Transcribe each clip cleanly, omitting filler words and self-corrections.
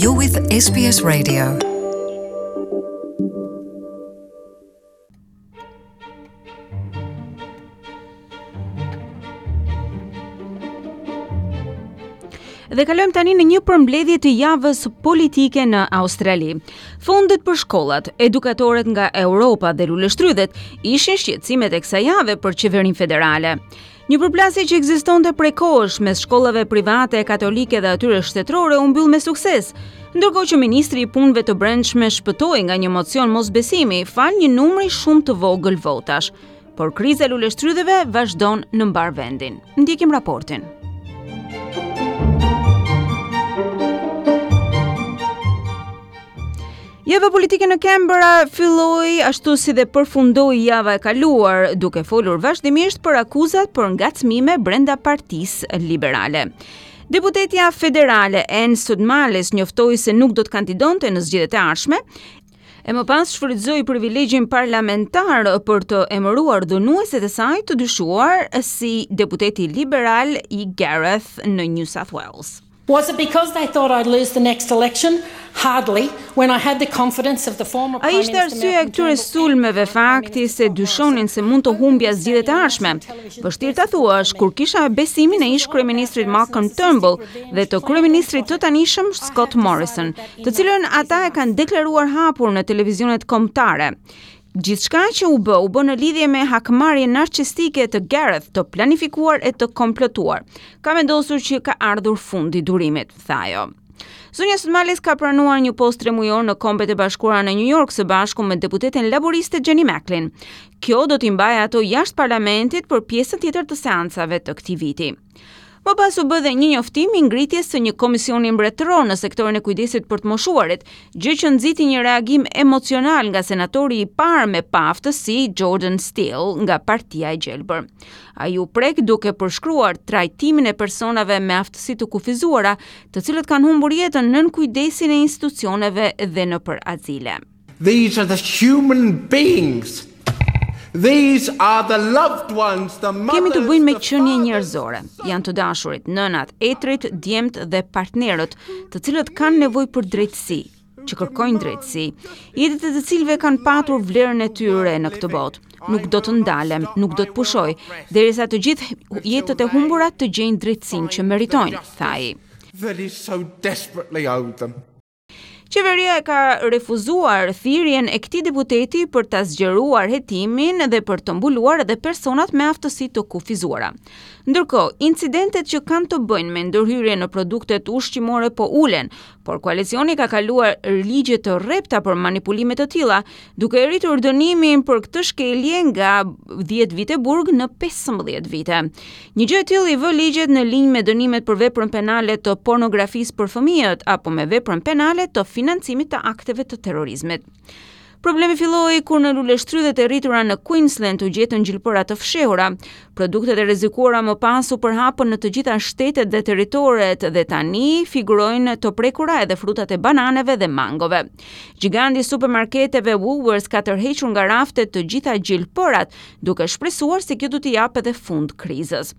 You're with SBS Radio. Dhe kalojmë tani në një përmbledhje të javës politike në Australi. Fondet për shkollat, edukatorët nga Europa dhe luleshtrydhet ishin shqetësimet e kësaj jave për qeverinë federale. Një përplasje që ekzistonte prej kohësh mes shkollave private katolike dhe atyre shtetërore u mbyll me sukses, ndërkohë që ministri i Punëve të Brendshme shpëtoi nga një mocion mosbesimi falë një numri shumë të vogël votash. Por kriza e luleshtrydheve vazhdon në mbarë vendin. Ndjekim raportin. Java politike në Canberra filloi ashtu si dhe përfundoi java e kaluar, duke folur vazhdimisht për akuzat për ngacmime brenda Partisë Liberale. Deputetja federale Ann Sudmalis njoftoi se nuk do të kandidonte në zgjedhjet e ardhshme, e më pas shfrytëzoi privilegjin parlamentar për të emëruar dhunuesit e saj të dyshuar si deputeti liberal i Gareth në New South Wales. Was it because they thought I'd lose the next election? Hardly, when I had the confidence of the former Prime Minister. A ishte arsyeja e këtyre sulmeve fakti se dyshonin se mund të humbja zgjedhjet e ardhshme? Vështirë ta thuash kur kisha besimin e ish-kryeministrit Malcolm Turnbull dhe të kryeministrit të tanishëm Scott Morrison, të cilën ata e kanë deklaruar hapur në televizionet kombëtare. Gjithçka që u bë, u bë në lidhje me hakmarrjen narcistike të Gareth, të planifikuar e të komplotuar. Kam vendosur që ka ardhur fundi durimit, tha ajo. Zonja Sudmalis ka pranuar një post tremujor në Kombet e Bashkuara në New York së bashku me deputeten laboriste Jenny Macklin. Kjo do t'i mbajë ato jashtë parlamentit për pjesën tjetër të seancave të këtij viti. Më pas u bë dhe një njoftim i ngritjes së një komisioni mbretëror në sektorin e kujdesit për të moshuarit, gjë që nxiti një reagim emocional nga senatori i parë me paaftësi Jordan Steele nga Partia e Gjelbër. Ai u prek duke përshkruar trajtimin e personave me aftësi të kufizuara, të cilët kanë humbur jetën nën kujdesin e institucioneve dhe nëpër azile. These are the human beings. These are the loved ones, the mothers, Kemi të bëjmë me qenie njerëzore. Janë të dashurit, nënat, etërit, djemtë dhe partnerët, të cilët kanë nevojë për drejtësi, që kërkojnë drejtësi, jetët e të cilëve kanë patur vlerën e tyre në këtë botë. Nuk do të ndalem, nuk do të pushoj, derisa të gjithë jetët e humbura të gjejnë drejtësinë që meritojnë, tha ai. That is so desperately owed them. Qeveria e ka refuzuar thirrjen e këtij deputeti për ta zgjeruar hetimin dhe për të mbuluar edhe personat me aftësi të kufizuara. Ndërkohë, incidentet që kanë të bëjnë me ndërhyrje në produktet ushqimore po ulen, por koalicioni ka kaluar ligje të rrepta për manipulime të tilla, duke e rritur dënimin për këtë shkelje nga 10 vite burg në 15 vite. Një gjë e tillë i vë ligjet në linjë me dënimet për veprën penale të pornografisë për fëmijët apo me veprën penale të financimit të akteve të terrorizmit. Problemi filloi kur në luleshtrydhet e rritura në Queensland u gjetën gjilpëra të fshehura. Produktet e rrezikuara më pas u përhapën në të gjitha shtetet dhe territoret dhe tani figurojnë të prekura edhe frutat e bananeve dhe mangove. Gjiganti i supermarketeve Woolworths ka tërhequr nga raftet të gjitha gjilpërat, duke shpresuar se kjo do t'i japë edhe fund krizës.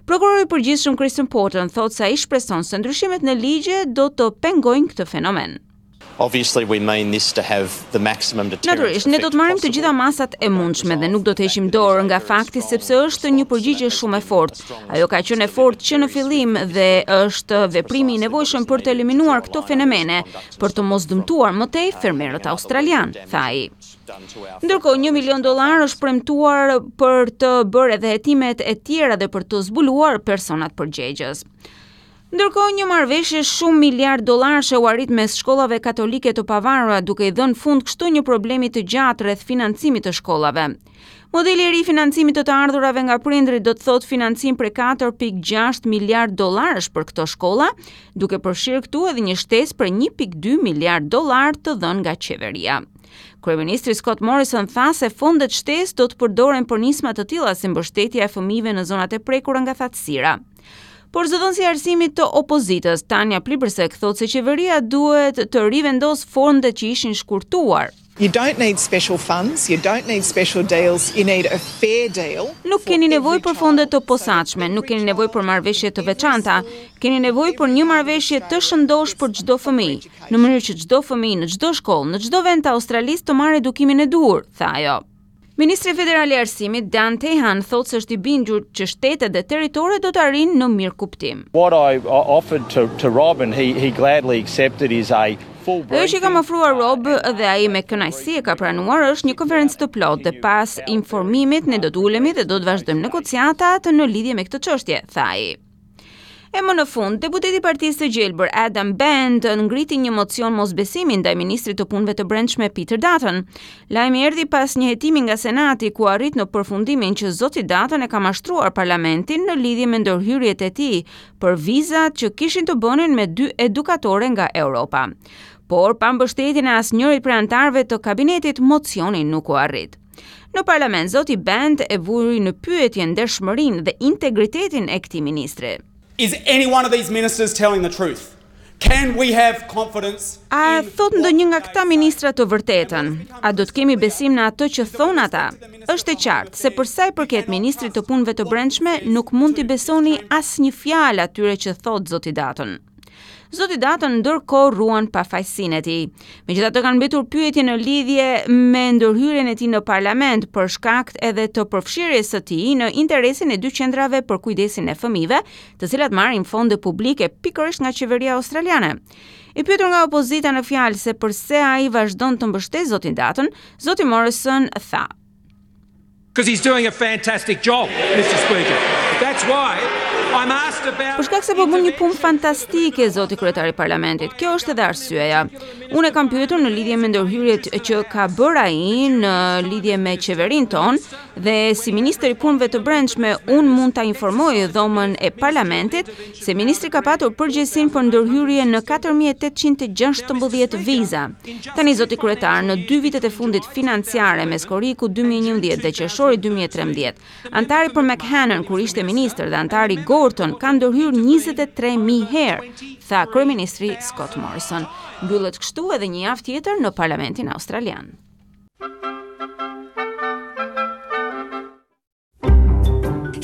Prokurori i përgjithshëm Christian Porter thotë se ai shpreson se ndryshimet në ligje do të pengojnë këtë fenomen. Obviously we mean this to have the maximum deterrent Natyrisht, ne do të marrim të gjitha masat e mundshme dhe nuk do të heqim dorë nga fakti sepse është një përgjigje shumë e fortë. Ajo ka qenë e fortë që në fillim dhe është veprimi i nevojshëm për të eliminuar këto fenomene, për të mos dëmtuar më tej fermerët australianë, tha ai. Ndërkohë, 1 milion dollar është premtuar për të bërë edhe hetimet e tjera dhe për të zbuluar personat përgjegjës. Ndërkohë, një marrëveshje shumë miliard dollarëshe u arrit mes shkollave katolike të pavarura, duke i dhënë fund kështu një problemi të gjatë rreth financimit të shkollave. Modeli i ri i financimit të të ardhurave nga prindërit do të thotë financim prej 4.6 miliard dollarësh për këto shkolla, duke përfshirë këtu edhe një shtesë prej 1.2 miliard dollar të dhënë nga qeveria. Kryeministri Scott Morrison tha se fondet shtesë do të përdoren për nisma të tilla si mbështetja e fëmijëve në zonat e prekura nga thatësira. Por zëdhënësi i arsimit të opozitës, Tanya Plibersek, thotë se qeveria duhet të rivendosë fondet që ishin shkurtuar. You don't need special funds, you don't need special deals, you need a fair deal. Nuk keni nevojë për fonde të posaçme, nuk keni nevojë për marrëveshje të veçanta, keni nevojë për një marrëveshje të shëndoshë për çdo fëmijë, në mënyrë që çdo fëmijë në çdo shkollë, në çdo vend të Australisë të marrë edukimin e duhur, tha ajo. Ministri Federal i Arsimit, Dan Tehan, thotë se është i bindur që shtetet dhe territoret do të arrijnë në mirëkuptim. What I offered to to Rob and he he gladly accepted is a full briefing. Ajo që i kam ofruar Rob dhe ai me kënaqësi e ka pranuar është një konferencë të plotë dhe pas informimit ne do të ulemi dhe do të vazhdojmë negociatat në lidhje me këtë çështje, tha ai. E më në fund, deputeti i Partisë së Gjelbër Adam Bandt ngriti një mocion mosbesimi ndaj ministrit të Punëve të Brendshme Peter Dutton. Lajmi erdhi pas një hetimi nga Senati ku arrit në përfundimin që zoti Dutton e ka mashtruar parlamentin në lidhje me ndërhyrjet e tij për vizat që kishin të bënin me dy edukatore nga Europa. Por pa mbështetjen e asnjërit prej anëtarëve të kabinetit, mocioni nuk u arrit. Në parlament, zoti Bandt e vuri në pyetje ndershmërinë dhe integritetin e këtij ministri. Is any one of these ministers telling the truth? Can we have confidence A thotë ndonjë nga këta ministra të vërtetën? A do të kemi besim në atë që thonë ata? Është e qartë se për sa i përket ministrit të Punëve të Brendshme, nuk mund t'i besoni asnjë fjalë atyre që thotë zoti Dutton. Zoti Dutton ndërkohë ruan pafajësinë e tij. Megjithatë kanë mbetur pyetje në lidhje me ndërhyrjen e tij në parlament për shkak edhe të përfshirjes së tij në interesin e dy qendrave për kujdesin e fëmijëve, të cilat marrin fonde publike pikërisht nga qeveria australiane. I pyetur nga opozita në fjalë se përse ai vazhdon të mbështesë zotin Dutton, zoti Morrison tha: Because he's doing a fantastic job, Mr. Speaker. That's why I'm asked about Për shkak se po bën një punë fantastike, zoti kryetar i parlamentit. Kjo është edhe arsyeja. Unë e kam pyetur në lidhje me ndërhyrjet që ka bërë ai në lidhje me qeverinë tonë dhe si ministër i punëve të brendshme unë mund ta informoj dhomën e parlamentit se ministri ka patur përgjegjësinë për ndërhyrje në 4816 viza. Tani zoti kryetar, në dy vitet e fundit financiare mes korrikut 2011 dhe qershorit 2013, anëtari për McHennan kur ishte ministër dhe anëtari Gorton kanë ndërhyrë 23000 herë, tha kryeministri Scott Morrison. Mbyllet kështu edhe një javë tjetër në Parlamentin Australian.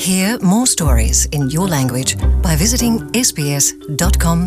Hear more stories in your language by visiting sbs.com.au.